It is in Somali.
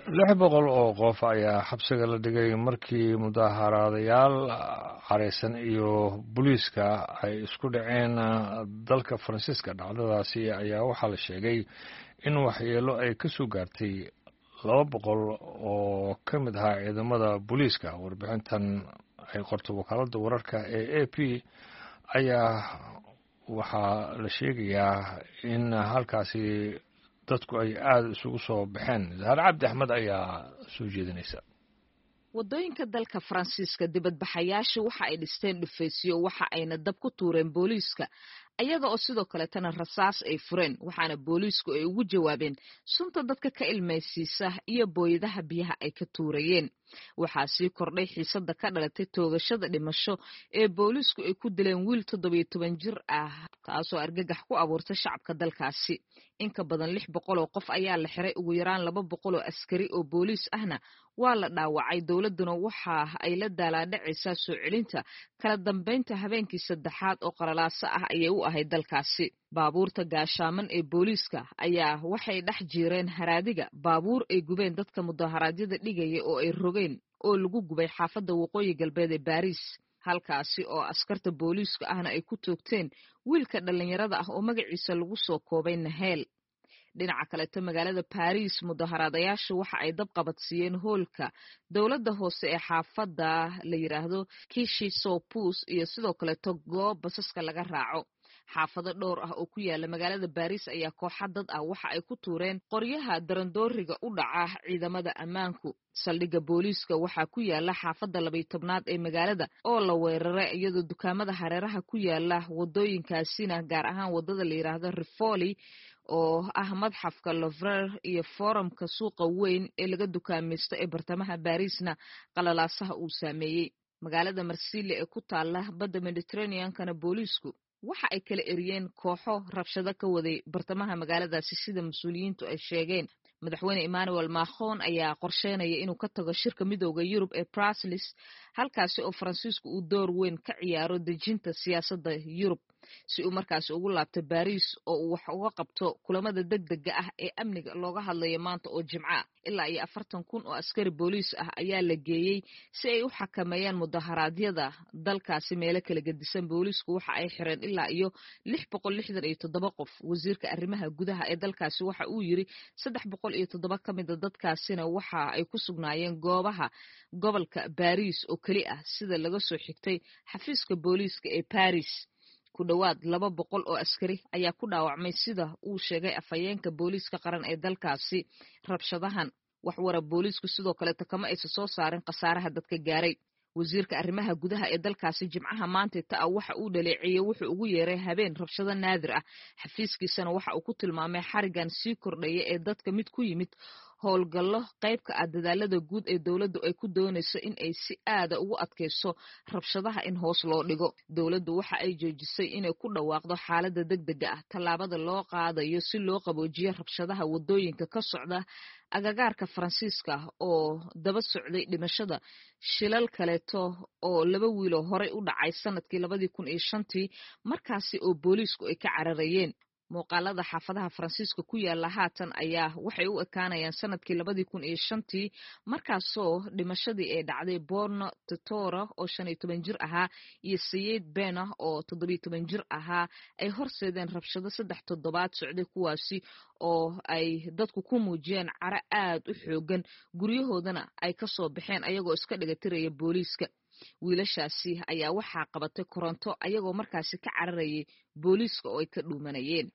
600 oo qof ayaa xabsiga la dhigay markii mudaaharaadayaal careysan iyo booliiska ay isku dhaceen dalka Faransiiska. Dhacdadaasi ayaa waxaa la sheegay in waxyeelo ay ka soo gaartay 200 oo ka mid ahaa ciidamada booliiska. Warbixintan ay qorto wakaaladda wararka ee AP ayaa waxaa la sheegayaa in halkaasi dadku ay aada isugu soo baxeen. Zahar Cabdi Axmed ayaa soo jeedinaysa. Waddooyinka dalka Faransiiska, dibadbaxayaashu waxa ay dhisteen dhufaysyo, waxa ayna dab ku tuureen booliiska, ayaga oo sidoo kaleetana rasaas ay fureen, waxaana booliisku ay ugu jawaabeen sunta dadka ka ilmaysiisa iyo booyadaha biyaha ay ka tuurayeen. Waxaa sii kordhay xiisada ka dhalatay toogashada dhimasho ee booliisku ay ku dileen wiil 17 jir ah, taasoo argagax ku abuurtay shacabka dalkaasi. In ka badan 600 oo qof ayaa la xiray, ugu yaraan 200 oo askari oo booliis ahna waa la dhaawacay. Dowladduna waxa ay la daalaadhacaysaa soo celinta kala dambeynta. Habeenkii saddexaad oo qalalaaso ah ayay u ahayd dalkaasi. Baabuurta gaashaaman ee booliiska ayaa waxay dhex jiireen haraadiga baabuur ay gubeen dadka mudaharaadyada dhigaya oo ay rogeen oo lagu gubay xaafadda waqooyi galbeed ee Baariis, halkaasi oo askarta booliiska ahna ay ku toogteen wiilka dhallinyarada ah oo magaciisa lagu soo koobay Naheel. Dhinaca kaleeto, magaalada Baariis, mudaharaadayaashu waxa ay dab qabadsiiyeen hoolka dowladda hoose ee xaafadda la yidhaahdo Kishi Sopus iyo sidoo kaleeto goob basaska laga raaco. Xaafado dhowr ah oo ku yaala magaalada Baariis ayaa kooxa dad ah waxa ay ku tuureen qoryaha darandooriga u dhaca ciidamada ammaanku. Saldhigga booliiska waxaa ku yaala xaafadda 12aad ee magaalada oo la weeraray, iyadoo dukaamada hareeraha ku yaala wadooyinkaasina, gaar ahaan wadada la yidhaahdo Rivoli oo ah madxafka Louvre iyo foorumka suuqa weyn ee laga dukaamaysto ee bartamaha Baariisna, qalalaasaha uu saameeyey. Magaalada Marsili ee ku taala badda Mediterraneankana, booliisku waxa ay kala eriyeen kooxo rabshado ka waday bartamaha magaaladaasi, sida mas-uuliyiintu ay sheegeen. Madaxweyne Emmanuel Macron ayaa qorsheynaya inuu ka tago shirka Midooda Yurub ee Brussels, halkaasi oo Faransiisku uu door weyn ka ciyaaro dejinta siyaasadda Yurub, si uu markaasi ugu laabto Baariis oo uu wax uga qabto kulamada degdega ah ee amniga looga hadlayo maanta oo Jimco ah. Ilaa iyo 40,000 oo askari booliis ah ayaa la geeyey si ay u xakameeyaan mudaharaadyada dalkaasi meelo kala gedisan. Booliisku waxa ay xireen ilaa iyo 667 qof. Wasiirka arrimaha gudaha ee dalkaasi waxa uu yiri 307 ka mida dadkaasina waxa ay ku sugnaayeen goobaha gobolka Baariis oo keli ah, sida laga soo xigtay xafiiska booliiska ee Baris. Ku dhowaad 200 oo askari ayaa ku dhaawacmay, sida uu sheegay afhayeenka booliiska qaran ee dalkaasi, rabshadahan. Waxwara booliisku sidoo kaleeto kama aysan soo saarin khasaaraha dadka gaaray. Wasiirka arrimaha gudaha ee dalkaasi Jimcaha maanta ta ah waxa uu dhaleeceeyey wuxuu ugu yeeray habeen rabshado naadir ah. Xafiiskiisana waxa uu ku tilmaamay xarigan sii kordhaya ee dadka mid ku yimid howlgallo qaybka ah dadaalada guud ee dowladdu ay ku doonayso in ay si aada ugu adkayso rabshadaha in hoos loo dhigo. Dowladdu waxa ay joojisay inay ku dhawaaqdo xaaladda degdega ah, tallaabada loo qaadayo si loo qaboojiyo rabshadaha waddooyinka ka socda agagaarka Faransiiska oo daba socday dhimashada shilal kaleeto oo laba wiiloo horey u dhacay sanadkii 2005-tii, markaasi oo booliisku ay ka cararayeen. Muuqaalada xaafadaha Faransiiska ku yaala haatan ayaa waxay u ekaanayaan sanadkii 2005-tii, markaasoo dhimashadii ay dhacday Borno Totora oo 15 jir ahaa iyo Sayid Bena oo 17 jir ahaa ay horseedeen rabshado 3 toddobaad socday, kuwaasi oo ay dadku ku muujiyeen caro aad u xoogan, guryahoodana ay ka soo baxeen ayagoo iska dhigatiraya booliiska. Wiilashaasi ayaa waxaa qabatay koronto ayagoo markaasi ka cararayay booliiska oo ay ka dhuumanayeen.